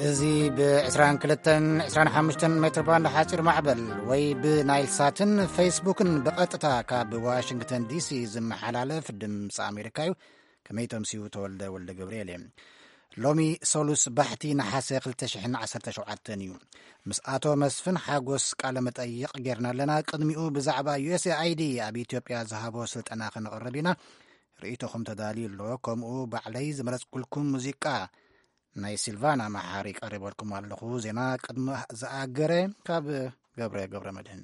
እዚ ብ22 25 ሜትር ባንድ ሓፂር ማዕበል ወይ ብናይል ሳትን ፌስቡክን ብቐጥታ ካብ ዋሽንግተን ዲሲ ዝመሓላለፍ ድምፂ ኣሜሪካ እዩ። ከመይ ተምስዩ? ተወልደ ወልደ ገብርኤል እየ። ሎሚ ሰሉስ ባሕቲ ነሓሰ ክልተ ሽሕን ዓሰርተ ሸውዓተን እዩ። ምስ ኣቶ መስፍን ሓጎስ ቃለ መጠይቕ ጌርና ኣለና። ቅድሚኡ ብዛዕባ ዩ ኤስ ኤ ኣይ ዲ ኣብ ኢትዮጵያ ዝሃቦ ስልጠና ከነቕርብ ኢና። ርእይቶኹም ተዳልዩ ኣሎ። ከምኡ ባዕለይ ዝመረጽኩልኩም ሙዚቃ ናይ ሲልቫና መሓሪ ቀሪበልኩም ኣለኹ። ዜና ቅድሚ ዝኣገረ ካብ ገብረ ገብረ መድህን።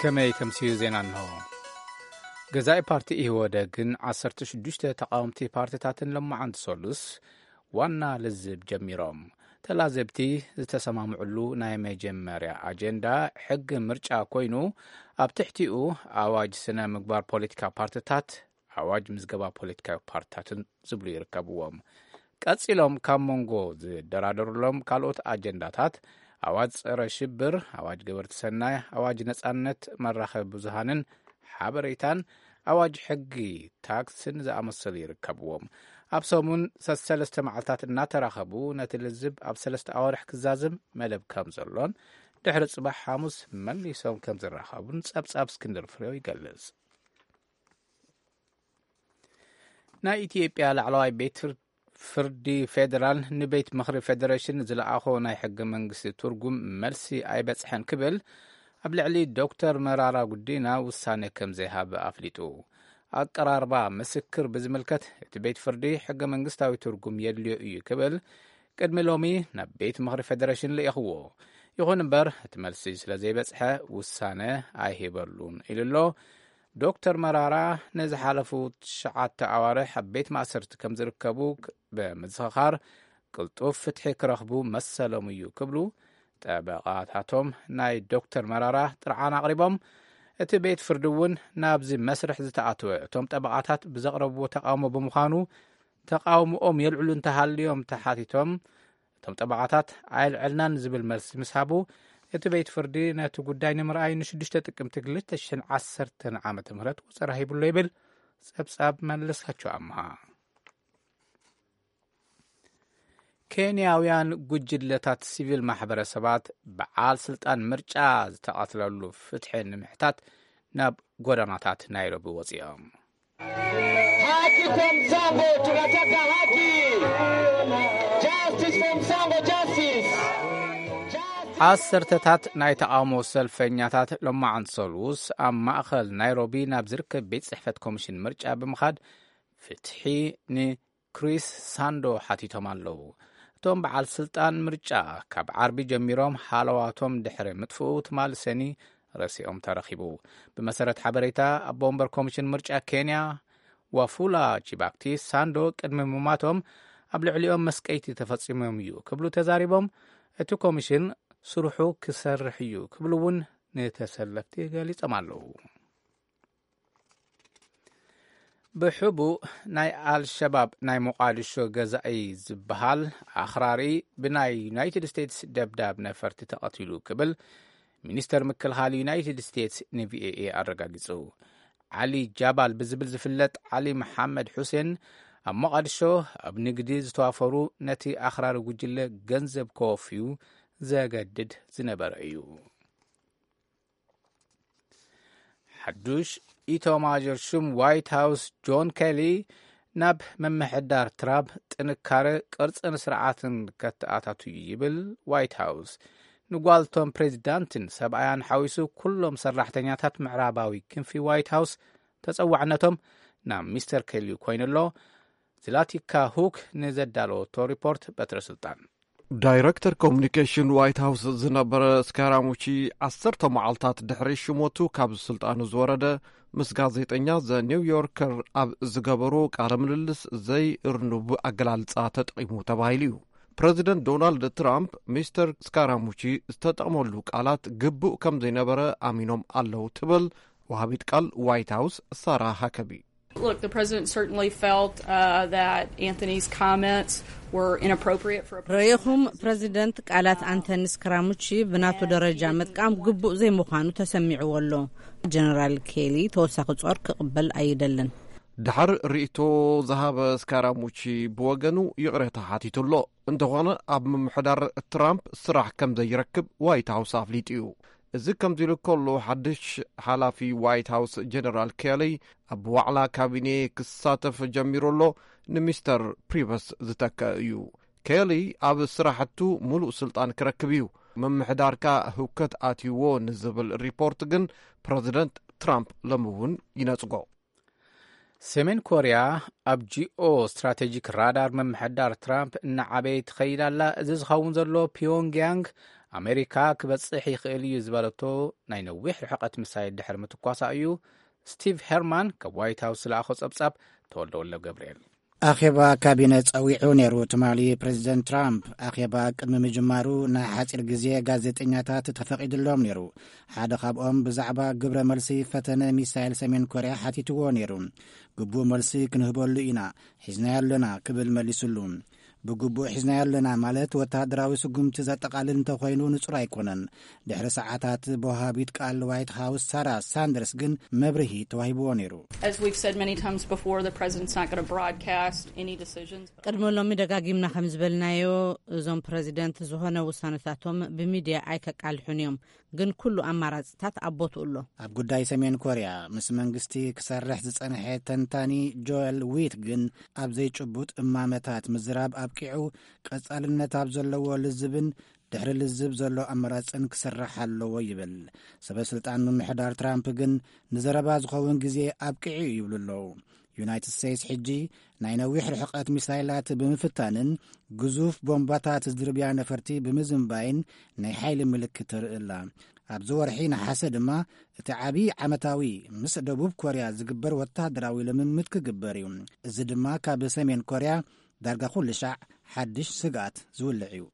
ከመይ ተምስዩ ዜና እንሆ። ገዛኢ ፓርቲ ኢህወደግን ዓሰርተ ሽዱሽተ ተቃወምቲ ፓርቲታትን ሎማዓንቲ ሰሉስ ዋና ልዝብ ጀሚሮም። ተላዘብቲ ዝተሰማምዕሉ ናይ መጀመርያ ኣጀንዳ ሕጊ ምርጫ ኮይኑ፣ ኣብ ትሕቲኡ ኣዋጅ ስነ ምግባር ፖለቲካ ፓርቲታት፣ ኣዋጅ ምዝገባ ፖለቲካዊ ፓርቲታትን ዝብሉ ይርከብዎም። ቀጺሎም ካብ መንጎ ዝደራደሩሎም ካልኦት ኣጀንዳታት ኣዋጅ ጸረ ሽብር፣ ኣዋጅ ገበርቲ ሰናይ፣ ኣዋጅ ነጻነት መራኸቢ ብዙሃንን ሓበሬታን፣ ኣዋጅ ሕጊ ታክስን ዝኣመሰሉ ይርከብዎም። ኣብ ሰሙን ሰሰለስተ መዓልታት እናተራኸቡ ነቲ ልዝብ ኣብ ሰለስተ ኣዋርሕ ክዛዝም መደብ ከም ዘሎን ድሕሪ ጽባሕ ሓሙስ መሊሶም ከም ዝራኸቡን ጸብጻብ እስክንድር ፍሬው ይገልጽ። ናይ ኢትዮጵያ ላዕለዋይ ቤት ፍር-፣ ፍርዲ ፌዴራል ንቤት ምኽሪ ፌዴሬሽን ዝለኣኾ ናይ ሕገ መንግስቲ ትርጉም መልሲ ኣይበጽሐን ክብል ኣብ ልዕሊ ዶክተር መራራ ጉዲና ውሳነ ከም ዘይሃበ ኣፍሊጡ። ኣቀራርባ ምስክር ብዝምልከት እቲ ቤት ፍርዲ ሕገ መንግስታዊ ትርጉም የድልዮ እዩ ክብል ቅድሚ ሎሚ ናብ ቤት ምኽሪ ፌዴሬሽን ልኢኽዎ። ይኹን እምበር እቲ መልሲ ስለ ዘይበጽሐ ውሳነ ኣይሂበሉን ኢሉ ኣሎ። ዶክተር መራራ ንዝሓለፉ ትሽዓተ ኣዋርሕ ኣብ ቤት ማእሰርቲ ከም ዝርከቡ ክ-፣ ብምዝኽኻር ቅልጡፍ ፍትሒ ክረኽቡ መሰሎም እዩ ክብሉ ጠበቓታቶም ናይ ዶክተር መራራ ጥርዓን ኣቕሪቦም። እቲ ቤት ፍርዲ እውን ናብዚ መስርሕ ዝተኣተወ እቶም ጠበቓታት ብዘቕረብዎ ተቃውሞ ብምዃኑ ተቃውሞኦም የልዕሉ እንተሃልዮም ተሓቲቶም፣ እቶም ጠበቓታት ኣየልዐልናን ዝብል መልሲ ምስ ሃቡ፣ እቲ ቤት ፍርዲ ነቲ ጉዳይ ንምርኣይ ንሽዱሽተ ጥቅምቲ ክልተ ሽሕን ዓሰርተን ዓመተ ምህረት ወጸራ ሂብሎ ይብል ጸብጻብ መለስካቸው ኣምሃ። ኬንያውያን ጉጅለታት ሲቪል ማሕበረሰባት በዓል ስልጣን ምርጫ ዝተቐትለሉ ፍትሒ ንምሕታት ናብ ጎደናታት ናይሮቢ ወፂኦም። Haki kwa Mzambo, tunataka haki. Justice for Mzambo, justice. ዓሰርተታት ናይ ተቓውሞ ሰልፈኛታት ሎማዓንቲ ሰሉስ ኣብ ማእኸል ናይሮቢ ናብ ዝርከብ ቤት ጽሕፈት ኮሚሽን ምርጫ ብምኻድ ፍትሒ ንክሪስ ሳንዶ ሓቲቶም ኣለዉ። እቶም በዓል ስልጣን ምርጫ ካብ ዓርቢ ጀሚሮም ሃለዋቶም ድሕሪ ምጥፍኡ ትማሊ ሰኒ ረሲኦም ተረኺቡ። ብመሰረት ሓበሬታ ኣቦ ወንበር ኮሚሽን ምርጫ ኬንያ ዋፉላ ቺባክቲ፣ ሳንዶ ቅድሚ ምማቶም ኣብ ልዕሊኦም መስቀይቲ ተፈጺሞም እዩ ክብሉ ተዛሪቦም፣ እቲ ኮሚሽን ስርሑ ክሰርሕ እዩ ክብሉ እውን ንተሰለፍቲ ገሊጾም ኣለዉ። ብሕቡእ ናይ ኣልሸባብ ናይ ሞቓዲሾ ገዛኢ ዝበሃል ኣኽራሪ ብናይ ዩናይትድ ስቴትስ ደብዳብ ነፈርቲ ተቐቲሉ ክብል ሚኒስተር ምክልኻል ዩናይትድ ስቴትስ ንቪኦኤ ኣረጋጊጹ። ዓሊ ጃባል ብዝብል ዝፍለጥ ዓሊ መሓመድ ሑሴን ኣብ ሞቓዲሾ ኣብ ንግዲ ዝተዋፈሩ ነቲ ኣኽራሪ ጉጅለ ገንዘብ ከወፍዩ ዘገድድ ዝነበረ እዩ። ሓዱሽ ኢታማዦር ሹም ዋይት ሃውስ ጆን ኬሊ ናብ ምምሕዳር ትራምፕ ጥንካረ ቅርጽን ስርዓትን ከተኣታቱ እዩ ይብል ዋይት ሃውስ። ንጓልቶም ፕሬዚዳንትን ሰብኣያን ሓዊሱ ኩሎም ሰራሕተኛታት ምዕራባዊ ክንፊ ዋይት ሃውስ ተጸዋዕነቶም ናብ ሚስተር ኬሊ ኮይኑ ኣሎ። ዝላቲካ ሁክ ንዘዳለወቶ ሪፖርት በትረ ስልጣን። ዳይረክተር ኮሙኒኬሽን ዋይት ሃውስ ዝነበረ ስካራሙቺ ዓሰርተ መዓልታት ድሕሪ ሽሞቱ ካብ ስልጣኑ ዝወረደ ምስ ጋዜጠኛ ዘ ኒው ዮርከር ኣብ ዝገበሮ ቃለ ምልልስ ዘይእርኑብ ኣገላልጻ ተጠቒሙ ተባሂሉ እዩ። ፕረዚደንት ዶናልድ ትራምፕ ሚስተር ስካራሙቺ ዝተጠቕመሉ ቃላት ግቡእ ከም ዘይነበረ ኣሚኖም ኣለዉ ትብል ወሃቢት ቃል ዋይት ሃውስ ሳራ ሃከቢ። Look, the president certainly felt uh, that Anthony's comments were inappropriate for a president. ረኢኹም፣ ፕረዚደንት ቃላት ኣንቶኒ ስክራሙቺ ብናቱ ደረጃ ምጥቃም ግቡእ ዘይምዃኑ ተሰሚዕዎ ኣሎ። ጀነራል ኬሊ ተወሳኺ ጾር ክቕበል ኣይደልን። ድሓር ርእይቶ ዝሃበ ስካራሙቺ ብወገኑ ይቕሬታ ሓቲቱ ኣሎ። እንተኾነ ኣብ ምምሕዳር ትራምፕ ስራሕ ከም ዘይረክብ ዋይት ሃውስ ኣፍሊጡ እዩ። እዚ ከምዚ ኢሉ ከሎ፣ ሓድሽ ሓላፊ ዋይት ሃውስ ጀነራል ኬሊ ኣብ ዋዕላ ካቢኔ ክሳተፍ ጀሚሩ ኣሎ። ንሚስተር ፕሪቨስ ዝተክአ እዩ። ኬሊ ኣብ ስራሕቱ ሙሉእ ስልጣን ክረክብ እዩ። ምምሕዳርካ ህውከት ኣትይዎ ንዝብል ሪፖርት ግን ፕረዚደንት ትራምፕ ሎሚ እውን ይነጽጎ። ሰሜን ኮርያ ኣብ ጂኦ ስትራቴጂክ ራዳር ምምሕዳር ትራምፕ እናዓበየ ትኸይድ ኣላ። እዚ ዝኸውን ዘሎ ፒዮንግያንግ ኣሜሪካ ክበጽሕ ይኽእል እዩ ዝበለቶ ናይ ነዊሕ ርሕቀት ምሳይል ድሕሪ ምትኳሳ እዩ። ስቲቭ ሄርማን ካብ ዋይት ሃውስ ዝለኣኾ ጸብጻብ። ተወልደ ወልደ ገብርኤል። ኣኼባ ካቢነ ጸዊዑ ነይሩ። ትማሊ ፕሬዚደንት ትራምፕ ኣኼባ ቅድሚ ምጅማሩ ንሓጺር ግዜ ጋዜጠኛታት ተፈቒድሎም ነይሩ። ሓደ ካብኦም ብዛዕባ ግብረ መልሲ ፈተነ ሚሳይል ሰሜን ኮርያ ሓቲትዎ ነይሩ። ግቡእ መልሲ ክንህበሉ ኢና፣ ሒዝናዮ ኣለና ክብል መሊሱሉ። ብግቡእ ሒዝናዮ ኣለና ማለት ወተሃደራዊ ስጉምቲ ዘጠቓልል እንተኾይኑ ንጹር ኣይኮነን። ድሕሪ ሰዓታት ብወሃቢት ቃል ዋይት ሃውስ ሳራ ሳንደርስ ግን መብርሂ ተዋሂብዎ ነይሩ። As we've said many times before, the president's not going to broadcast any decisions. ቅድሚ ሎሚ ደጋጊምና ከም ዝበልናዮ፣ እዞም ፕረዚደንት ዝኾነ ውሳነታቶም ብሚድያ ኣይከቃልሑን እዮም። ግን ኩሉ ኣማራፅታት ኣብ ቦትኡ ኣሎ። ኣብ ጉዳይ ሰሜን ኮርያ ምስ መንግስቲ ክሰርሕ ዝጸንሐ ተንታኒ ጆኤል ዊት ግን ኣብ ዘይጭቡጥ እማመታት ምዝራብ ኣብቂዑ፣ ቀጻልነት ኣብ ዘለዎ ልዝብን ድሕሪ ልዝብ ዘሎ ኣማራጽን ክስራሕ ኣለዎ ይብል። ሰበ ስልጣን ምምሕዳር ትራምፕ ግን ንዘረባ ዝኸውን ግዜ ኣብቂዑ ይብሉ ኣለዉ። ዩናይትድ ስቴትስ ሕጂ ናይ ነዊሕ ርሕቀት ሚሳይላት ብምፍታንን ግዙፍ ቦምባታት ዝድርብያ ነፈርቲ ብምዝንባይን ናይ ሓይሊ ምልክት ተርኢ ኣላ። ኣብዚ ወርሒ ነሓሰ ድማ እቲ ዓቢ ዓመታዊ ምስ ደቡብ ኮርያ ዝግበር ወተሃደራዊ ልምምድ ክግበር እዩ። እዚ ድማ ካብ ሰሜን ኮርያ ዳርጋ ኩሉ ሻዕ ሓድሽ ስግኣት ዝውልዕ እዩ።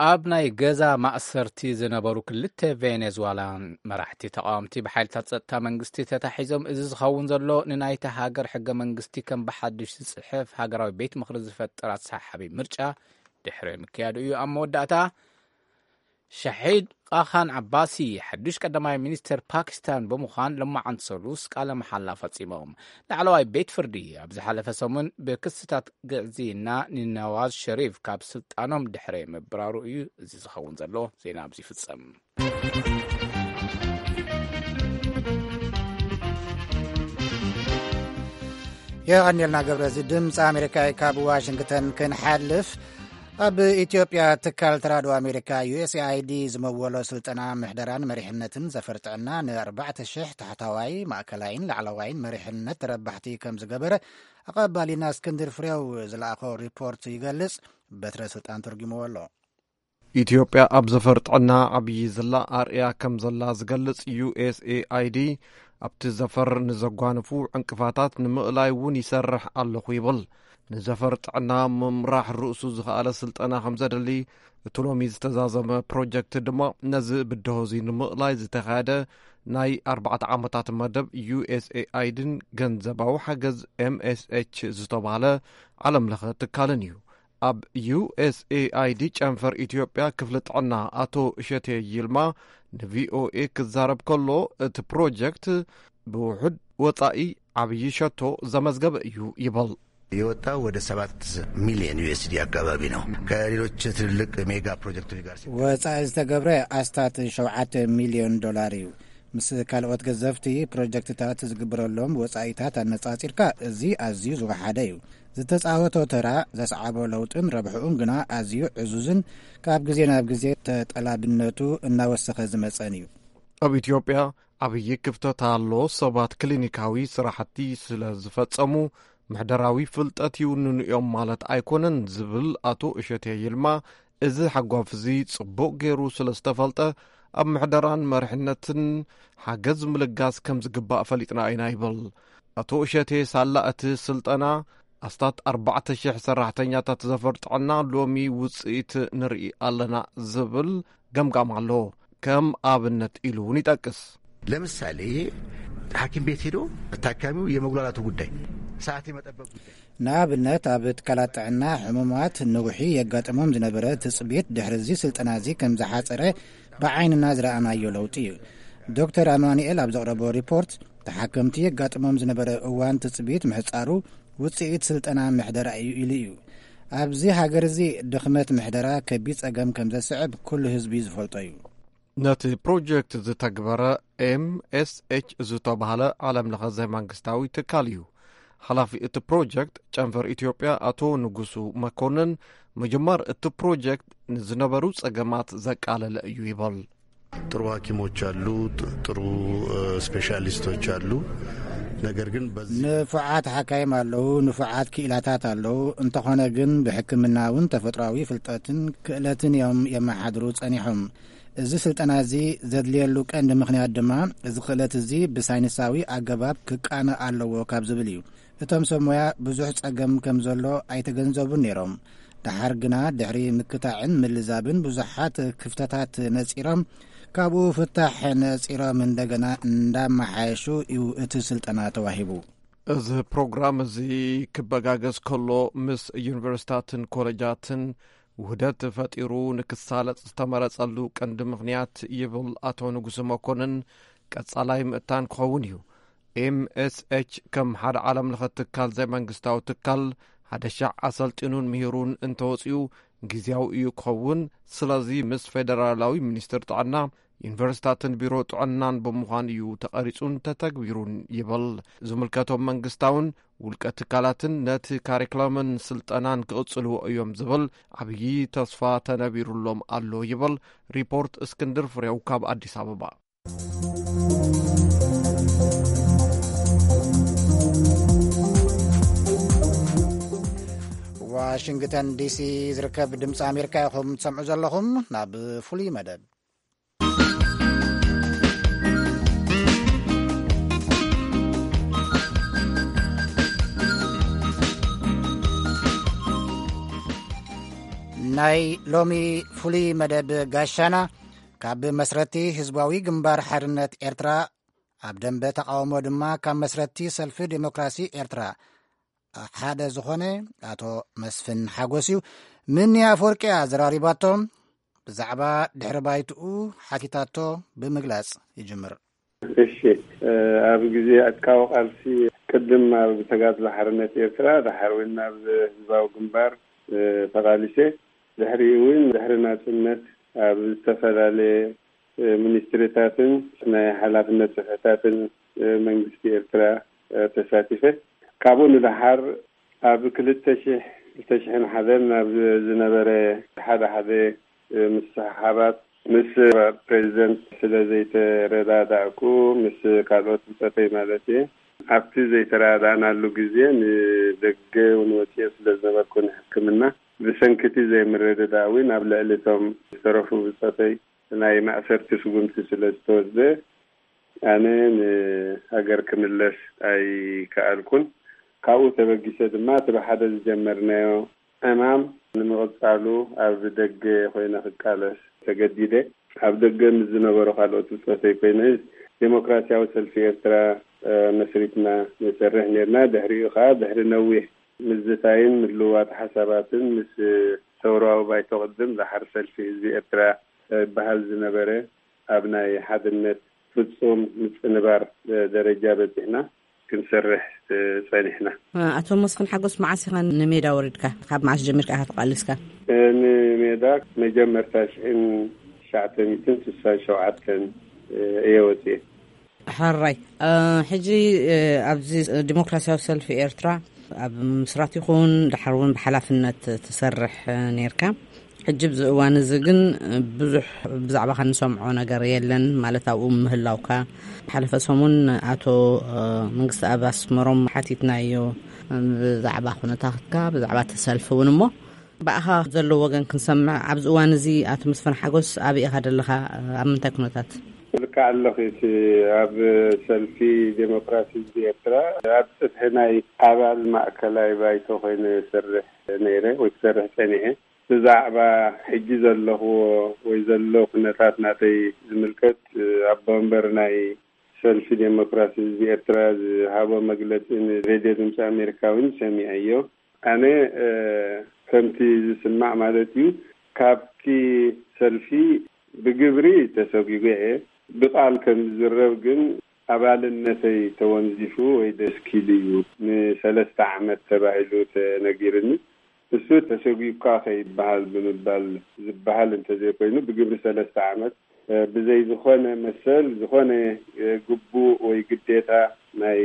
ኣብ ናይ ገዛ ማእሰርቲ ዝነበሩ ክልተ ቬኔዙዋላን መራሕቲ ተቃወምቲ ብሓይልታት ጸጥታ መንግስቲ ተታሒዞም። እዚ ዝኸውን ዘሎ ንናይታ ሃገር ሕገ መንግስቲ ከም ብሓድሽ ዝጽሕፍ ሃገራዊ ቤት ምኽሪ ዝፈጥር ኣሰሓሓቢ ምርጫ ድሕሪ ምክያዱ እዩ። ኣብ መወዳእታ ሻሒድ ቃኻን ዓባሲ ሓዱሽ ቀዳማይ ሚኒስተር ፓኪስታን ብምዃን ሎማዓንቲ ሰሉስ ቃለ መሓላ ፈጺሞም። ላዕለዋይ ቤት ፍርዲ ኣብ ዝሓለፈ ሰሙን ብክስታት ግዕዝይና ንነዋዝ ሸሪፍ ካብ ስልጣኖም ድሕሪ ምብራሩ እዩ። እዚ ዝኸውን ዘሎ ዜና ኣብዚ ይፍጸም። የቐንየልና ገብረ። እዚ ድምፂ ኣሜሪካ እዩ። ካብ ዋሽንግተን ክንሓልፍ፣ ኣብ ኢትዮጵያ ትካል ተራድኦ ኣሜሪካ ዩ ኤስ ኤ ኣይ ዲ ዝመወሎ ስልጠና ምሕደራን መሪሕነትን ዘፈር ጥዕና ንኣርባዕተ ሽሕ ታሕታዋይ፣ ማእከላይን ላዕለዋይን መሪሕነት ተረባሕቲ ከም ዝገበረ ኣቐባሊና እስክንድር ፍሬው ዝለኣኾ ሪፖርት ይገልጽ። በትረ ስልጣን ተርጉምዎ ኣሎ። ኢትዮጵያ ኣብ ዘፈር ጥዕና ዓብዪ ዝላ ኣርእያ ከም ዘላ ዝገልጽ ዩ ኤስ ኤ ኣይ ዲ፣ ኣብቲ ዘፈር ንዘጓንፉ ዕንቅፋታት ንምእላይ እውን ይሰርሕ ኣለኹ ይብል። ንዘፈር ጥዕና ምምራሕ ርእሱ ዝኸኣለ ስልጠና ከም ዘድሊ፣ እቲ ሎሚ ዝተዛዘመ ፕሮጀክት ድማ ነዚ ብድሆ እዚ ንምእላይ ዝተኻየደ ናይ ኣርባዕተ ዓመታት መደብ ዩ ኤስ ኤ ኣይ ዲን ገንዘባዊ ሓገዝ ኤም ኤስ ኤች ዝተባህለ ዓለም ለኸ ትካልን እዩ። ኣብ ዩ ኤስ ኤ ኣይ ዲ ጨንፈር ኢትዮጵያ ክፍሊ ጥዕና ኣቶ እሸቴ ይልማ ን ቪ ኦ ኤ ክዛረብ ከሎ፣ እቲ ፕሮጀክት ብውሑድ ወጻኢ ዓብዪ ሸቶ ዘመዝገበ እዩ ይበል። የወጣው ወደ ሰባት ሚሊዮን ዩ ኤስ ዲ አካባቢ ነው። ከሌሎች ትልልቅ ሜጋ ፕሮጀክቶች ጋር ሲ- ወጻኢ ዝተገብረ ኣስታት ሸውዓተ ሚልዮን ዶላር እዩ። ምስ ካልኦት ገዘፍቲ ፕሮጀክትታት ዝግበረሎም ወጻኢታት ኣነጻጺርካ፣ እዚ ኣዝዩ ዝወሓደ እዩ። ዝተጻወቶ ተራ፣ ዘስዓቦ ለውጥን ረብሕኡን ግና ኣዝዩ ዕዙዝን ካብ ግዜ ናብ ግዜ ተጠላብነቱ እናወሰኸ ዝመጸን እዩ። ኣብ ኢትዮጵያ ዓብዪ ክፍተት ኣሎ። ሰባት ክሊኒካዊ ስራሕቲ ስለ ዝፈጸሙ፣ ምሕደራዊ ፍልጠት ይውንኑ እዮም ማለት ኣይኮነን ዝብል ኣቶ እሸቴ ይልማ፣ እዚ ሓጓፍ እዚ ጽቡቕ ገይሩ ስለ ዝተፈልጠ፣ ኣብ ምሕደራን መሪሕነትን ሓገዝ ምልጋስ ከም ዝግባእ ፈሊጥና ኢና ይብል። ኣቶ እሸቴ፣ ሳላ እቲ ስልጠና ኣስታት ኣርባዕተ ሽሕ ሰራሕተኛታት ዘፈር ጥዕና ሎሚ ውጽኢት ንርኢ ኣለና ዝብል ገምጋም ኣሎ። ከም ኣብነት ኢሉ እውን ይጠቅስ። ለምሳሌ ሐኪም ቤት ሄዶ ታካሚው የመጉላላቱ ጉዳይ፣ ሰዓት የመጠበቅ ጉዳይ። ንኣብነት ኣብ ትካላት ጥዕና ሕሙማት ንውሒ የጋጥሞም ዝነበረ ትጽቢት ድሕሪ እዚ ስልጠና እዚ ከም ዝሓጸረ ብዓይንና ዝረኣናዮ ለውጢ እዩ። ዶክተር ኣማኑኤል ኣብ ዘቕረቦ ሪፖርት፣ ተሓከምቲ የጋጥሞም ዝነበረ እዋን ትጽቢት ምሕጻሩ ውጽኢት ስልጠና ምሕደራ እዩ ኢሉ እዩ። ኣብዚ ሃገር እዚ ድኽመት ምሕደራ ከቢድ ጸገም ከም ዘስዕብ ኩሉ ህዝቢ ዝፈልጦ እዩ። ነቲ ፕሮጀክት ዝተግበረ ኤምኤስኤች ዝተባህለ ዓለም ለኸ ዘይመንግስታዊ ትካል እዩ። ሓላፊ እቲ ፕሮጀክት ጨንፈር ኢትዮጵያ ኣቶ ንጉሱ መኮንን፣ ምጅማር እቲ ፕሮጀክት ንዝነበሩ ጸገማት ዘቃለለ እዩ ይበል። ጥሩ ሐኪሞች አሉ፣ ጥሩ ስፔሻሊስቶች አሉ። ነገር ግን በዚህ ንፉዓት ሓካይም ኣለዉ፣ ንፉዓት ክኢላታት ኣለዉ። እንተኾነ ግን ብሕክምና እውን ተፈጥሯዊ ፍልጠትን ክእለትን እዮም የመሓድሩ ጸኒሖም። እዚ ስልጠና እዚ ዘድልየሉ ቀንዲ ምኽንያት ድማ፣ እዚ ክእለት እዚ ብሳይንሳዊ ኣገባብ ክቃነ ኣለዎ ካብ ዝብል እዩ። እቶም ሰብ ሞያ ብዙሕ ጸገም ከም ዘሎ ኣይተገንዘቡን ነይሮም። ደሓር ግና ድሕሪ ምክታዕን ምልዛብን ብዙሓት ክፍተታት ነጺሮም፣ ካብኡ ፍታሕ ነጺሮም እንደገና እንዳመሓየሹ እዩ እቲ ስልጠና ተዋሂቡ። እዚ ፕሮግራም እዚ ክበጋገዝ ከሎ ምስ ዩኒቨርሲታትን ኮሌጃትን ውህደት ፈጢሩ ንክሳለጥ ዝተመረጸሉ ቀንዲ ምኽንያት ይብል ኣቶ ንጉሱ መኮንን፣ ቀጻላይ ምእታን ክኸውን እዩ። ኤምኤስኤች ከም ሓደ ዓለም ለኸ ትካል ዘይመንግስታዊ ትካል ሓደ ሻዕ ኣሰልጢኑን ምሂሩን እንተወፂኡ ግዜያዊ እዩ ክኸውን። ስለዚ ምስ ፌደራላዊ ሚኒስትር ጥዕና፣ ዩኒቨርሲታትን ቢሮ ጥዕናን ብምዃን እዩ ተቐሪጹን ተተግቢሩን ይብል። ዝምልከቶም መንግስታውን ውልቀ ትካላትን ነቲ ካሪክለምን ስልጠናን ክቕጽልዎ እዮም ዝብል ዓብዪ ተስፋ ተነቢሩሎም ኣሎ ይብል ሪፖርት እስክንድር ፍሬው ካብ ኣዲስ ኣበባ። ዋሽንግተን ዲሲ ዝርከብ ድምፂ ኣሜሪካ ኢኹም ትሰምዑ ዘለኹም። ናብ ፍሉይ መደብ ናይ ሎሚ ፍሉይ መደብ ጋሻና፣ ካብ መስረቲ ህዝባዊ ግንባር ሓርነት ኤርትራ፣ ኣብ ደንበ ተቓውሞ ድማ ካብ መስረቲ ሰልፊ ዴሞክራሲ ኤርትራ ሓደ ዝኾነ ኣቶ መስፍን ሓጎስ እዩ። ምኒ ኣፈወርቂ እያ ዘራሪባቶ። ብዛዕባ ድሕሪ ባይትኡ ሓቲታቶ ብምግላጽ ይጅምር። እሺ፣ እ፣ ኣብ ግዜ ዕጥቃዊ ቃልሲ፣ ቅድም ኣብ ተጋድሎ ሓርነት ኤርትራ፣ ድሓር እውን ናብ ህዝባዊ ግንባር፣ እ፣ ተቓሊሰ። ድሕሪኡ እውን ድሕሪ ናጽነት ኣብ ዝተፈላለየ፣ እ፣ ሚኒስትሪታትን ናይ ሓላፍነት ጽፍሕታትን፣ እ፣ መንግስቲ ኤርትራ፣ እ፣ ተሳቲፈ። ካብኡ ንደሓር ኣብ ክልተ ሽሕ፣ ክልተ ሽሕን ሓደን ናብ ዝነበረ ሓደ ሓደ ምስሕሓባት ምስ ፕሬዚደንት ስለ ዘይተረዳዳእኩ፣ ምስ ካልኦት ብጸተይ ማለት እየ፣ ኣብቲ ዘይተረዳዳእናሉ ግዜ ንደገ እውን ወጽየ ስለ ዝነበርኩ ንሕክምና፣ ብሰንኪ እቲ ዘይምርድዳእ እውን ኣብ ልዕሊ እቶም ዝተረፉ ብጸተይ ናይ ማእሰርቲ ስጉምቲ ስለ ዝተወስደ፣ ኣነ ንሃገር ክምለስ ኣይከኣልኩን። ካብኡ ተበጊሰ ድማ እቲ ብሓደ ዝጀመርናዮ ዕማም ንምቕጻሉ ኣብ ደገ ኮይነ ክቃለስ ተገዲደ። ኣብ ደገ ምስ ዝነበሩ ካልኦት ብጾተይ ኮይነ ዴሞክራሲያዊ ሰልፊ ኤርትራ፣ እ፣ መስሪትና ንሰርሕ ኔርና። ድሕሪኡ ከኣ ድሕሪ ነዊሕ ምዝታይን ምልውዋጥ ሓሳባትን ምስ ሰውራዊ ባይቶ ቅድም ደሓር ሰልፊ ህዝቢ ኤርትራ ይበሃል ዝነበረ ኣብ ናይ ሓድነት ፍጹም ምጽንባር ደረጃ በጺሕና ክንሰርሕ ጸኒሕና። ኣቶ መስፍን ሓጎስ፣ መዓስ ኢኻ ንሜዳ ወሪድካ? ካብ መዓስ ጀሚርካ ኢኻ ተቓሊስካ? ንሜዳ መጀመርታ ሽሕን ትሽዓተ ሚእትን ስሳን ሸውዓተን እየ ወጺኤ። ሕራይ፣ እ፣ ሕጂ፣ እ፣ ኣብዚ ዲሞክራሲያዊ ሰልፊ ኤርትራ ኣብ ምስራት ይኹን ድሓር እውን ብሓላፍነት ትሰርሕ፣ እ፣ ኔርካ። ሕጂ ኣብዚ እዋን እዚ ግን ብዙሕ ብዛዕባኻ ንሰምዖ ነገር የለን፣ ማለት ኣብኡ ምህላውካ። ሓለፈ ሰሙን ኣቶ፣ እ፣ መንግስቲ ኣብ ኣስመሮም ሓቲትናዮ ብዛዕባ ኩነታትካ፣ ብዛዕባ እቲ ሰልፊ እውን። እሞ ብኣኻ ዘሎ ወገን ክንሰምዕ፣ ኣብዚ እዋን እዚ ኣቶ መስፍን ሓጎስ ኣበይ ኢኻ ዘለኻ? ኣብ ምንታይ ኩነታት? ልክዕ ኣለኺ። እቲ ኣብ ሰልፊ ዴሞክራሲ ህዝቢ ኤርትራ ኣብ ጽፍሒ ናይ ኣባል ማእከላይ ባይቶ ኮይነ ይሰርሕ ነይረ ወይ ክሰርሕ ጸኒሐ። ብዛዕባ ሕጂ ዘለኽዎ ወይ ዘሎ ኩነታት ናተይ ዝምልከት፣ ኣቦ ወንበር ናይ ሰልፊ ዴሞክራሲ ህዝቢ ኤርትራ ዝሃቦ መግለጺ ንሬድዮ ድምፂ ኣሜሪካ እውን ሰሚዐዮ። ኣነ ከምቲ ዝስማዕ ማለት እዩ፣ ካብቲ ሰልፊ ብግብሪ ተሰጒገ እየ። ብቃል ከም ዝዝረብ ግን ኣባልነተይ ተወንዚፉ ወይ ደስኪሉ እዩ፣ ንሰለስተ ዓመት ተባሂሉ ተነጊርኒ። እሱ ተሰጒግካ ከይበሃል ብምባል ዝበሃል እንተዘይኮይኑ፣ ብግብሪ ሰለስተ ዓመት ብዘይ ዝኾነ መሰል፣ ዝኾነ ግቡእ ወይ ግዴታ ናይ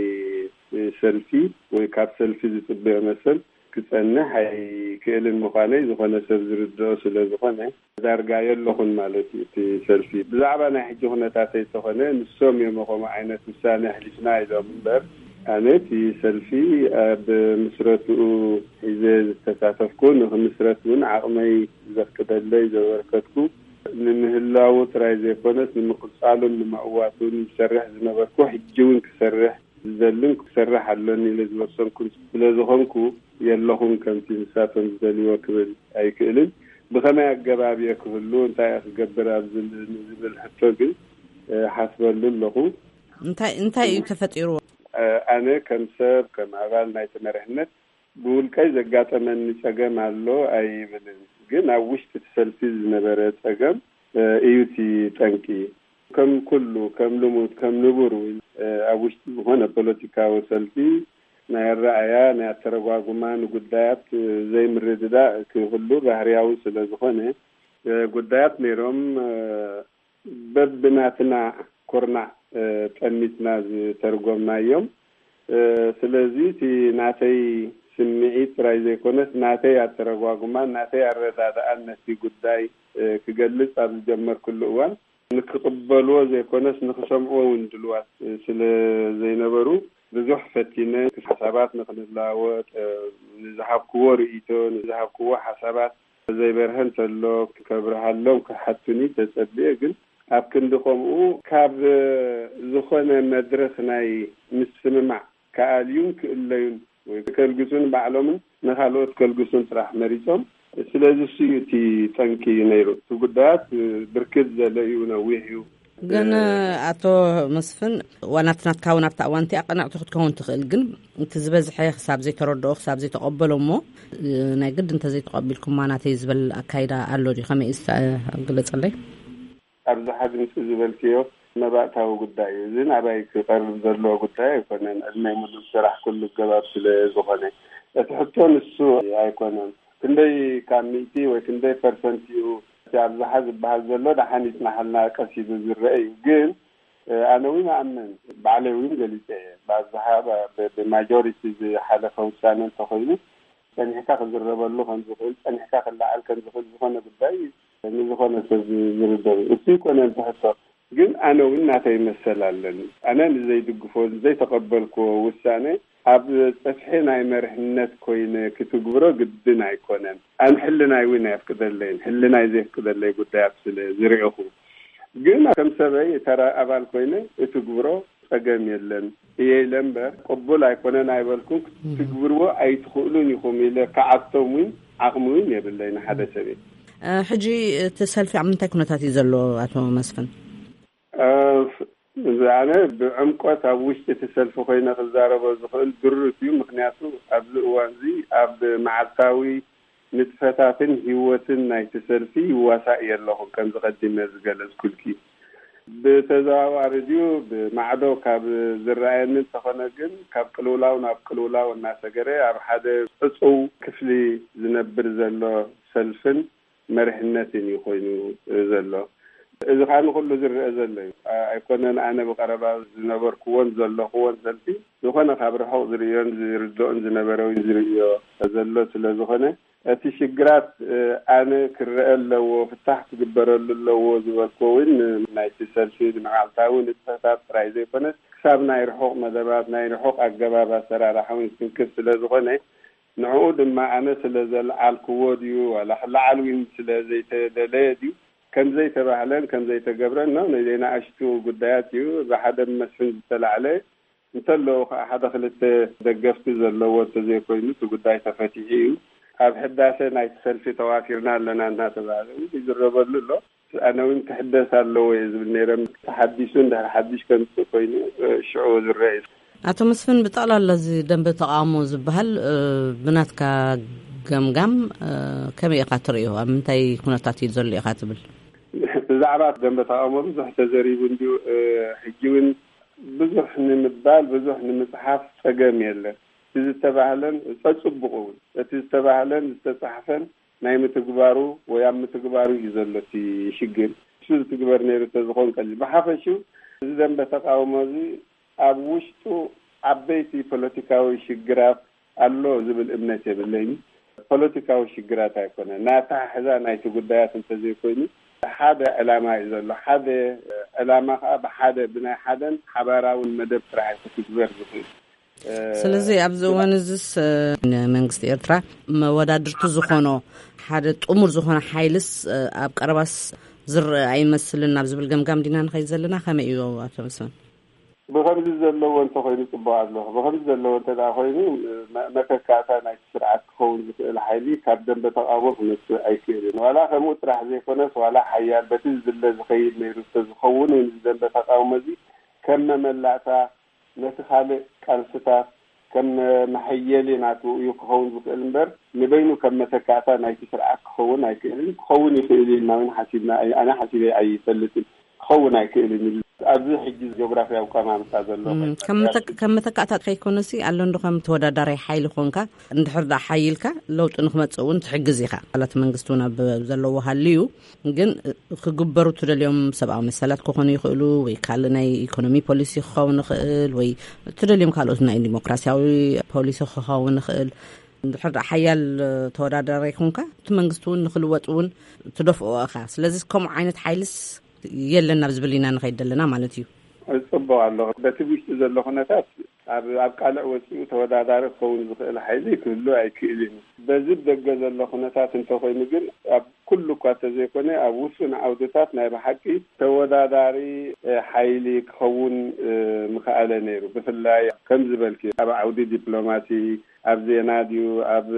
ሰልፊ ወይ ካብ ሰልፊ ዝጽበዮ መሰል ክጸንሕ ኣይክእልን ምዃነይ ዝኾነ ሰብ ዝርድኦ ስለ ዝኾነ፣ ዳርጋ የለኹን ማለት እዩ። እቲ ሰልፊ ብዛዕባ ናይ ሕጂ ኩነታተይ እንተኾነ፣ ንሶም እዮም ከምኡ ዓይነት ውሳነ ኣሕሊፍና ኢሎም እምበር፣ ኣነ እቲ ሰልፊ ኣብ ምስረትኡ ሒዘ ዝተሳተፍኩ፣ ንክምስረት እውን ዓቕመይ ዘፍቅደለይ ዘበርከትኩ፣ ንምህላዉ ጥራይ ዘይኮነስ ንምቕጻሉን ንምዕዋቱን ዝሰርሕ ዝነበርኩ፣ ሕጂ እውን ክሰርሕ ዝደልን ክሰርሕ ኣሎኒ ኢለ ዝወሰንኩን ስለ ዝኾንኩ፣ የለኹን ከምቲ ንሳቶም ዝደልይዎ ክብል ኣይክእልን። ብኸመይ ኣገባብ እየ ክህሉ፣ እንታይ እየ ክገብር ኣብ ዝብል፣ ንዝብል ሕቶ ግን፣ እ፣ ሓስበሉ ኣለኹ። እንታይ፣ እንታይ እዩ ተፈጢርዎ? እ፣ ኣነ ከም ሰብ፣ ከም ኣባል ናይቲ መሪሕነት ብውልቀይ ዘጋጠመኒ ጸገም ኣሎ ኣይብልን። ግን ኣብ ውሽጢ እቲ ሰልፊ ዝነበረ ጸገም፣ እ፣ እዩ እቲ ጠንቂ። ከም ኩሉ፣ ከም ልሙድ፣ ከም ንቡር እውን፣ እ፣ ኣብ ውሽጢ ዝኾነ ፖለቲካዊ ሰልፊ ናይ ኣረኣእያ፣ ናይ ኣተረጓጉማ፣ ንጉዳያት፣ እ፣ ዘይምርድዳእ ክህሉ ባህርያዊ ስለ ዝኾነ፣ እ፣ ጉዳያት ነይሮም፣ እ፣ በብናትና ኩርናዕ፣ እ፣ ጠሚትና ዝተርጎምናዮም። እ፣ ስለዚ እቲ ናተይ ስምዒት ጥራይ ዘይኮነስ፣ ናተይ ኣተረጓጉማን ናተይ ኣረዳድኣን ነቲ ጉዳይ፣ እ፣ ክገልጽ ኣብ ዝጀመርኩሉ እዋን፣ ንክቕበልዎ ዘይኮነስ ንክሰምዕዎ እውን ድልዋት ስለ ዘይነበሩ፣ ብዙሕ ፈቲነ። ሓሳባት ንክንለዋወጥ፣ ንዝሃብክዎ ርእይቶ፣ ንዝሃብክዎ ሓሳባት ዘይበርሀ እንተሎ ከብርሃሎም ክሓቱኒ ተጸብየ። ግን ኣብ ክንዲ ከምኡ፣ ካብ ዝኾነ መድረኽ ናይ ምስምማዕ ክኣልዩን ክእለዩን ወይ ከልግሱን ባዕሎምን ንኻልኦት ከልግሱን ጥራሕ መሪጾም። ስለዚ እሱ እዩ እቲ ጠንቂ ነይሩ። እቲ ጉዳያት ብርክት ዘለ እዩ፣ ነዊሕ እዩ። ግን እ፣ ኣቶ መስፍን፣ ዋላ እቲ ናትካ እውን ኣብታ እዋን እቲኣ ቅንዕቲ ክትከውን ትኽእል፣ ግን እቲ ዝበዝሐ ክሳብ ዘይተረድኦ፣ ክሳብ ዘይተቐበሎ እሞ፣ እ፣ ናይ ግድ እንተዘይተቐቢልኩማ ናተይ ዝበል ኣካይዳ ኣሎ ድዩ? ከመይ እዩ እስቲ፣ እ፣ ግለጸለይ። ኣብዝሓ ድምፂ ዝበልክዮ መባእታዊ ጉዳይ እዩ። እዚ ናባይ ክቐርብ ዘለዎ ጉዳይ ኣይኮነን። ዕድመይ ሙሉእ ዝሰራሕኩሉ ገባብ ስለ ዝኾነ፣ እቲ ሕቶ ንሱ ኣይኮነን። ክንደይ ካብ ሚእቲ ወይ ክንደይ ፐርሰንት እዩ እቲ ኣብዝሓ ዝበሃል ዘሎ? ደሓን ይጽናሓልና፣ ቀስ ኢሉ ዝረአ እዩ። ግን፣ እ፣ ኣነ እውን እኣምን፣ ባዕለይ እውን ገሊጸ እየ። ብኣብዝሓ ብ-፣ ብ-፣ ብማጆሪቲ ዝሓለፈ ውሳነ እንተኾይኑ፣ ጸኒሕካ ክዝረበሉ ከም ዝኽእል፣ ጸኒሕካ ክለዓል ከም ዝኽእል ዝኾነ ጉዳይ ንዝኾነ ሰብ ዝርደእ እዩ። እሱ ይኮነ እቲ ሕቶ። ግን ኣነ እውን ናተይ መሰል ኣለኒ። ኣነ ንዘይድግፎ፣ ንዘይተቐበልክዎ ውሳነ ኣብ ጸፍሒ ናይ መርሕነት ኮይነ ክትግብሮ ግድን ኣይኮነን። ኣነ ሕልናይ እውን ኣየፍቅደለይን። ሕልናይ ዘየፍቅደለይ ጉዳያት ስለ ዝርኢኹ። ግን ከም ሰበይ ተራ ኣባል ኮይነ እትግብሮ ጸገም የለን እየ ኢለ እምበር፣ ቅቡል ኣይኮነን ኣይበልኩን። ክትግብርዎ ኣይትኽእሉን ኢኹም ኢለ ክዓቶም እውን ዓቕሚ እውን የብለይን ሓደ ሰብ እየ። እ፣ ሕጂ እቲ ሰልፊ ኣብ ምንታይ ኩነታት እዩ ዘሎ ኣቶ መስፍን? እ፣ ኣነ ብዕምቆት ኣብ ውሽጢ እቲ ሰልፊ ኮይነ ክዛረቦ ዝኽእል ድሩት እዩ። ምኽንያቱ ኣብዚ እዋን እዚ ኣብ መዓልታዊ ንጥፈታትን ህይወትን ናይቲ ሰልፊ ይዋሳእ እየ ኣለኹ፣ ከም ዝቐዲመ ዝገለጽኩልኪ። ብተዘዋዋሪ ድዩ ብማዕዶ ካብ ዝረኣየኒ እንተኾነ ግን፣ ካብ ቅልውላው ናብ ቅልውላው እናሰገረ ኣብ ሓደ ዕጹው ክፍሊ ዝነብር ዘሎ ሰልፍን መሪሕነትን እዩ ኮይኑ ዘሎ። እዚ ኸኣ ንኹሉ ዝረአ ዘሎ እዩ። ኣ-፣ ኣይኮነን ኣነ ብቐረባ ዝነበርኩዎን ዘለኹዎን ሰልፊ፣ ዝኾነ ካብ ርሑቕ ዝርእዮን ዝርድኦን ዝነበረ ወይ ዝርእዮ ዘሎ ስለ ዝኾነ፣ እቲ ሽግራት፣ እ፣ ኣነ ክረአ ኣለዎ፣ ፍታሕ ክግበረሉ ኣለዎ ዝበልኩዎ እውን ናይቲ ሰልፊ ንመዓልታዊ ንጥፈታት ጥራይ ዘይኮነስ፣ ክሳብ ናይ ርሑቕ መደባት፣ ናይ ርሑቕ ኣገባብ ኣሰራርሓ እውን ዝትንክፍ ስለ ዝኾነ፣ ንዕኡ ድማ ኣነ ስለ ዘልዓልክዎ ድዩ፣ ዋላ ክለዓል እውን ስለ ዘይተደለየ ድዩ፣ ከም ዘይተባህለን ከም ዘይተገብረን ነው። ናይ ዘይናእሽቱ ጉዳያት እዩ። ብሓደ መስፍን ዝተላዕለ እንተለዉ ከዓ፣ ሓደ ክልተ ደገፍቲ ዘለዎ እንተዘይኮይኑ፣ እቲ ጉዳይ ተፈቲሑ እዩ። ኣብ ሕዳሰ ናይቲ ሰልፊ ተዋፊርና ኣለና እናተባህለ እውን ይዝረበሉ ኣሎ። ኣነ እውን ክሕደስ ኣለዎ እየ ዝብል ነይረ። ተሓዲሱ እንድሕር ሓድሽ ከምፅእ ኮይኑ ሽዑ ዝረአ እዩ። ኣቶ መስፍን፣ ብጠቕላላ እዚ ደንበ ተቃውሞ ዝበሃል ብናትካ ገምጋም ከመይ ኢኻ ትርእዮ? ኣብ ምንታይ ኩነታት እዩ ዘሎ ኢኻ ትብል? ብዛዕባ ደንበ ተቃውሞ ብዙሕ ተዘሪቡ እንዲሁ ሕጂ እውን ብዙሕ ንምባል ብዙሕ ንምፅሓፍ ፀገም የለን። እቲ ዝተባህለን ፀፅቡቅ እውን እቲ ዝተባህለን ዝተፃሕፈን ናይ ምትግባሩ ወይ ኣብ ምትግባሩ እዩ ዘሎ እቲ ሽግር። እሱ ዝትግበር ነይሩ ተዝኾን ቀሊል። ብሓፈሽኡ እዚ ደንበ ተቃውሞ እዚ ኣብ ውሽጡ ዓበይቲ ፖለቲካዊ ሽግራት ኣሎ ዝብል እምነት የብለይን። ፖለቲካዊ ሽግራት ኣይኮነ ናታ ሕዛ ናይቲ ጉዳያት እንተዘይኮይኑ ሓደ ዕላማ እዩ ዘሎ። ሓደ ዕላማ ከዓ ብሓደ ብናይ ሓደን ሓባራውን መደብ ጥራሕ እዩ ክትግበር ዝኽእል። ስለዚ ኣብዚ እዋን እዚስ ንመንግስቲ ኤርትራ መወዳድርቲ ዝኾኖ ሓደ ጥሙር ዝኾነ ሓይልስ ኣብ ቀረባስ ዝረአ ኣይመስልን ናብ ዝብል ገምጋም ዲና ንኸይድ ዘለና? ከመይ እዩ ኣቶ መስፍን? ብኸምዚ ዘለዎ እንተኮይኑ ጽቡቅ ኣሎ። ብኸምዚ ዘለዎ እንተ ደኣ ኮይኑ መተካእታ ናይቲ ስርዓት ክኸውን ዝኽእል ሓይሊ ካብ ደንበ ተቃውሞ ክመጽእ ኣይክእልን። ዋላ ከምኡ ጥራሕ ዘይኮነስ ዋላ ሓያል በቲ ዝድለ ዝኸይድ ነይሩ እንተዝኸውን እውን እዚ ደንበ ተቃውሞ እዚ ከም መመላእታ ነቲ ካልእ ቃልስታት ከም መሐየሊ ናቱ እዩ ክኸውን ዝኽእል እምበር ንበይኑ ከም መተካእታ ናይቲ ስርዓት ክኸውን ኣይክእልን። ክኸውን ይኽእል እዩ ኢልና እውን ሓሲብና ኣይ- ኣነ ሓሲበ ኣይፈልጥን። ክኸውን ኣይክእልን እዩ። ኣብዚ ሕጂ ጂኦግራፊያዊ ኣቀማምጣ ዘሎ ከም መተካእታ ከይኮነሲ ኣሎ እንዶ ከም ተወዳዳራይ ሓይሊ ኮንካ እንድሕር ዳ ሓይልካ ለውጢ ንክመፅእ እውን ትሕግዝ ኢኻ። ኣባላት መንግስቲ እውን ኣብ ዘለዎ ሃልዩ ግን ክግበሩ ትደልዮም ሰብኣዊ መሰላት ክኾኑ ይኽእሉ ወይ ካልእ ናይ ኢኮኖሚ ፖሊሲ ክኸውን ይኽእል ወይ ትደልዮም ካልኦት ናይ ዲሞክራሲያዊ ፖሊሲ ክኸውን ይኽእል። እንድሕር ደኣ ሓያል ተወዳዳሪ ይኹንካ እቲ መንግስቲ እውን ንክልወጥ እውን ትደፍኦ ኢኻ። ስለዚ ከምኡ ዓይነት ሓይልስ የለን ናብ ዝብል ኢና ንኸይድ ዘለና ማለት እዩ። ጽቡቕ ኣሎ። በቲ ውሽጢ ዘሎ ኩነታት ኣብ ኣብ ቃልዕ ወጺኡ ተወዳዳሪ ክኸውን ዝኽእል ሓይሊ ክህሉ ኣይክእልን እዩ። በዚ ደገ ዘሎ ኩነታት እንተኾይኑ ግን ኣብ ኩሉ እኳ እንተዘይኮነ ኣብ ውሱን ዓውድታት ናይ ብሓቂ ተወዳዳሪ ሓይሊ ክኸውን ምኽኣለ ነይሩ። ብፍላይ ከም ዝበልኪ ኣብ ዓውዲ ዲፕሎማሲ፣ ኣብ ዜና ድዩ ኣብ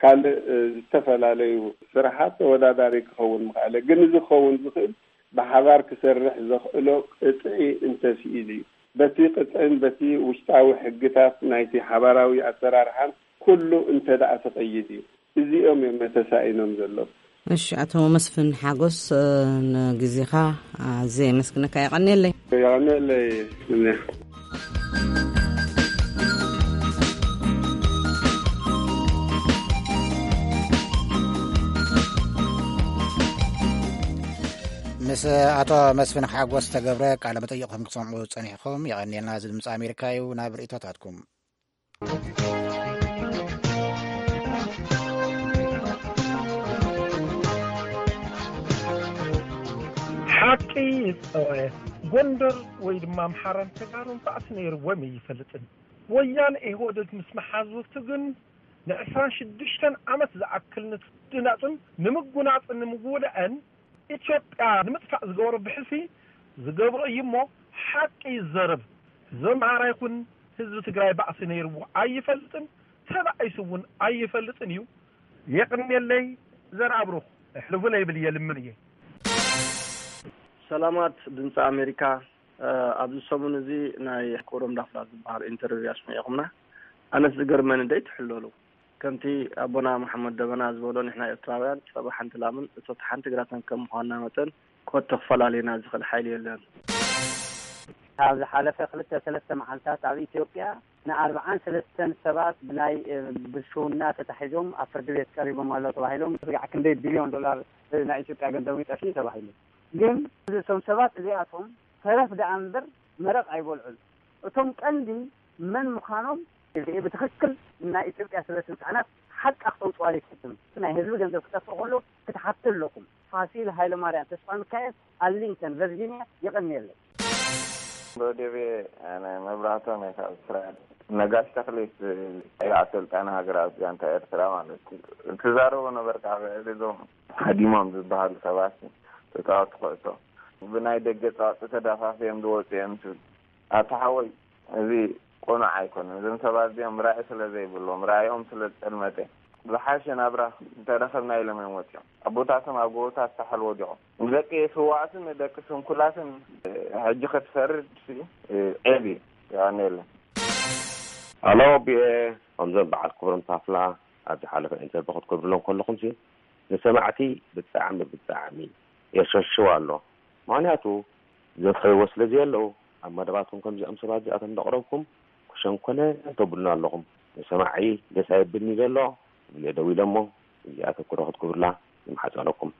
ካልእ ዝተፈላለዩ ስራሓት ተወዳዳሪ ክኸውን ምኽኣለ። ግን እዚ ክኸውን ዝኽእል ብሓባር ክሰርሕ ዘኽእሎ ቅጥዒ እንተስኢሉ እዩ። በቲ ቅጥዕን በቲ ውሽጣዊ ሕግታት ናይቲ ሓባራዊ ኣሰራርሓን ኩሉ እንተ ደኣ ተቐይድ እዩ። እዚኦም እዮም መተሳኢኖም ዘለዉ። እሺ፣ ኣቶ መስፍን ሓጎስ፣ ንግዜኻ ኣዝየ የመስግነካ። የቐንየለይ። የቐንየለይ። ምስ ኣቶ መስፍን ሓጎስ ዝተገብረ ቃለ መጠይቕ ከም ክትሰምዑ ጸኒሕኩም። የቐንየልና። እዚ ድምፂ ኣሜሪካ እዩ። ናብ ርእይቶታትኩም። ሓቂ ይፀወ። ጎንደር ወይ ድማ ኣምሓራን ተጋሩን ባእሲ ነይርዎም ኣይፈልጥን። ወያነ ኢህወደግ ምስ መሓዙቱ ግን ንዕስራን ሽዱሽተን ዓመት ዝኣክል ንትድናፅን ንምጉናፅን ንምውልዐን ኢትዮጵያ ንምጥፋእ ዝገበሮ ብሕሲ ዝገብሮ እዩ እሞ ሓቂ ይዘረብ። ህዝቢ ኣምሓራ ይኹን ህዝቢ ትግራይ ባእሲ ነይርዎ ኣይፈልጥን፣ ተባኢሱ እውን ኣይፈልጥን እዩ። የቕንየለይ ዘርኣብሩኽ እሕልፉ ለይብል እየ ልምን እየ። ሰላማት ድምፂ ኣሜሪካ፣ ኣብዚ ሰሙን እዚ ናይ ክብሮም ዳፍላ ዝበሃል ኢንተርቪው ኣስሚዕኹምና። ኣነስ ዝገርመኒ ደይ ትሕለሉ። ከምቲ ኣቦና መሓመድ ደበና ዝበሎ ንሕና ኤርትራውያን ጸባ ሓንቲ ላምን እቶት ሓንቲ ግራትን ከም ምዃንና መጠን ኮቶ ክፈላልየና ዝኽእል ሓይሊ የለን። ካብ ዝሓለፈ ክልተ ሰለስተ መዓልታት ኣብ ኢትዮጵያ ንኣርብዓን ሰለስተን ሰባት ብናይ ብልሽውና ተታሒዞም ኣብ ፍርዲ ቤት ቀሪቦም ኣሎ ተባሂሎም። ስጋዕ ክንደይ ቢልዮን ዶላር ናይ ኢትዮጵያ ገንዘብ ይጠፍእ ተባሂሉ። ግን እዞም ሰባት እዚኣቶም ተረፍ ደኣ እምበር መረቕ ኣይበልዑን። እቶም ቀንዲ መን ምዃኖም ብትኽክል ናይ ኢትዮጵያ ስበ ስልጣናት ሓቃ ክተውፅዋ ዘይትሕትም። ናይ ህዝቢ ገንዘብ ክጠፍእ ከሎ ክትሓቱ ኣለኩም። ፋሲል ሃይለማርያም ተስፋ ሚካኤል፣ ኣርሊንግተን ቨርጂኒያ። የቐንየለይ። ዶዴቤ መብራህቶም እየ ካብ እስራኤል። ነጋሽ ተኽሊት ላዕለዋይ ኣሰልጣኒ ሃገራዊ ጋንታ ኤርትራ ማለት እዩ። ትዛረቦ ነበርካ ብዕሊ እዞም ሃዲሞም ዝበሃሉ ሰባት ተፃወቲ ኩዕሶ ብናይ ደገ ፀዋፂ ተዳፋፍዮም ዝወፁ እዮም ትብል። ኣታ ሓወይ፣ እዚ ቅኑዕ ኣይኮነን። እዞም ሰባት እዚኦም ራኢ ስለ ዘይብሎም፣ ራኢኦም ስለ ዝጠልመተ፣ ዝሓሸ ናብራ እንተረኸብና ኢሎም እዮም ወፂኦም። ኣቦታቶም ኣብ ጎቦታት ሳሕል ወዲቖም። ንደቂ ስዋኣትን ንደቂ ስንኩላትን ሕጂ ክትፈርድ ሲ ዔብ እዩ። የቐንየለን። ኣሎ ቢኤ፣ ከምዞም በዓል ክብሮም ታፍላ ኣብ ዝሓለፈ ኢንተርቪ ክትገብርሎም ከለኹም ሲ ንሰማዕቲ ብጣዕሚ ብጣዕሚ የሸሽው ኣሎ። ምክንያቱ ዘፍረይዎ ስለ ዘየለዉ ኣብ መደባትኩም ከምዚኦም ሰባት እዚኣቶም እንዳቕረብኩም ክሸንኮነ ተብሉና ኣለኹም። ንሰማዒ ደስ ኣይብልኒ ዘሎ ብለ ደው ኢለ እሞ እዚኣ ተኩሮ ክትገብሩላ ይምሓጸነኩም።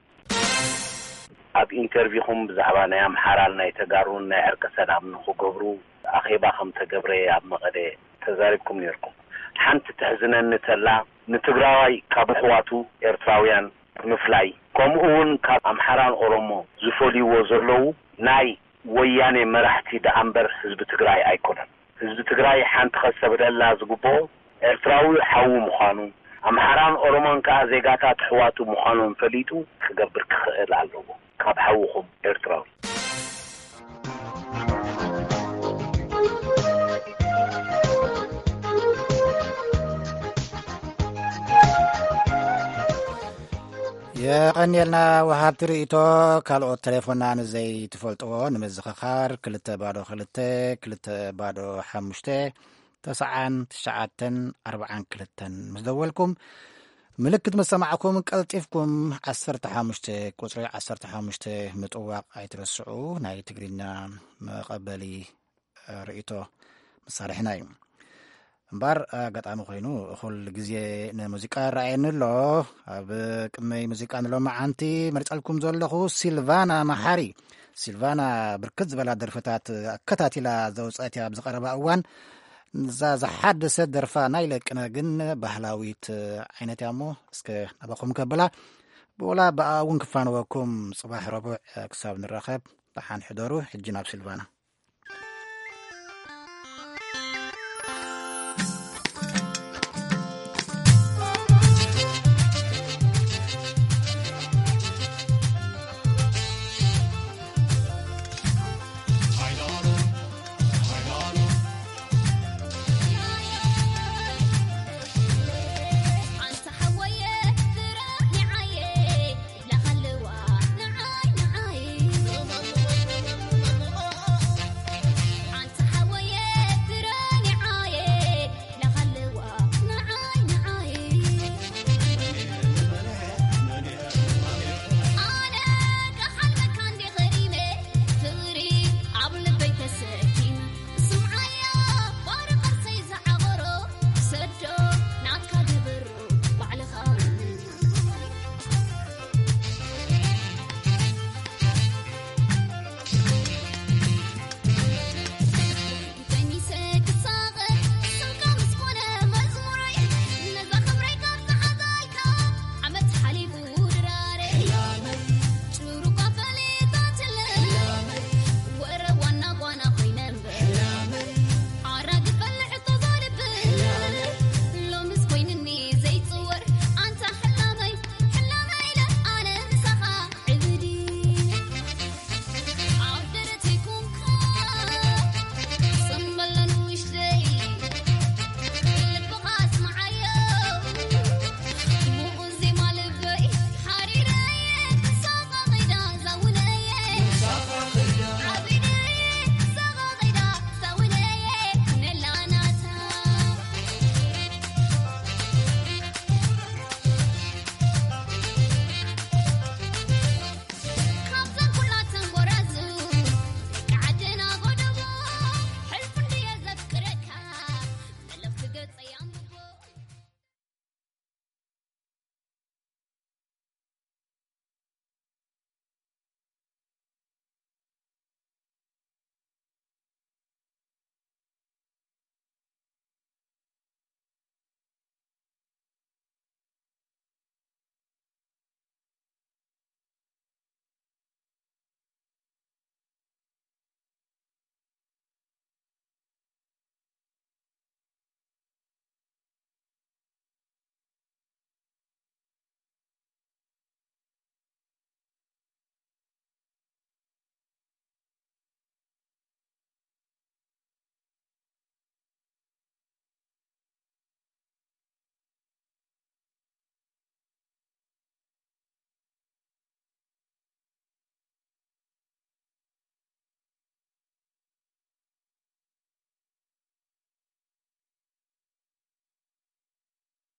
ኣብ ኢንተርቪኹም ብዛዕባ ናይ ኣምሓራን ናይ ተጋሩን ናይ ዕርቀ ሰላም ንኽገብሩ ኣኼባ ከም ተገብረ ኣብ መቐለ ተዛሪብኩም ነይርኩም። ሓንቲ ተሕዝነኒ ተላ ንትግራዋይ ካብ ኣሕዋቱ ኤርትራውያን ብምፍላይ ከምኡ እውን ካብ ኣምሓራን ኦሮሞ ዝፈልይዎ ዘለዉ ናይ ወያኔ መራሕቲ ደኣ እምበር ህዝቢ ትግራይ ኣይኮነን። ህዝቢ ትግራይ ሓንቲ ከስተብህለላ ዝግብኦ ኤርትራዊ ሓዉ ምዃኑ፣ ኣምሓራን ኦሮሞን ከኣ ዜጋታት ኣሕዋቱ ምዃኖም ፈሊጡ ክገብር ክኽእል ኣለዎ። ካብ ሓውኹም ኤርትራዊ። የቐንየልና ወሃብቲ ርእይቶ። ካልኦት ተሌፎና ንዘይትፈልጥዎ ንምዝኽኻር ክልተ ባዶ ክልተ ክልተ ባዶ ሓሙሽተ ተስዓን ትሽዓተን ኣርባዓን ክልተን ምስ ደወልኩም ምልክት ምስ ሰማዕኩም ቀልጢፍኩም ዓሰርተ ሓሙሽተ ቁጽሪ ዓሰርተ ሓሙሽተ ምጥዋቕ ኣይትረስዑ። ናይ ትግርኛ መቐበሊ ርእይቶ መሳርሕና እዩ። እምበር ኣጋጣሚ ኮይኑ እኹል ግዜ ንሙዚቃ ይረኣየኒ ኣሎ። ኣብ ቅድመይ ሙዚቃ ንሎማዓንቲ መርጸልኩም ዘለኹ ሲልቫና መሓሪ። ሲልቫና ብርክት ዝበላ ደርፍታት ኣከታቲላ ዘውፀት እያ ኣብዚ ቀረባ እዋን። እዛ ዝሓደሰት ደርፋ ናይ ለቅነ ግን ባህላዊት ዓይነት እያ እሞ እስከ ናባኹም ከብላ ብኡላ ብኣ እውን ክፋንወኩም። ጽባሕ ረቡዕ ክሳብ ንራኸብ ደሓን ሕደሩ። ሕጂ ናብ ሲልቫና።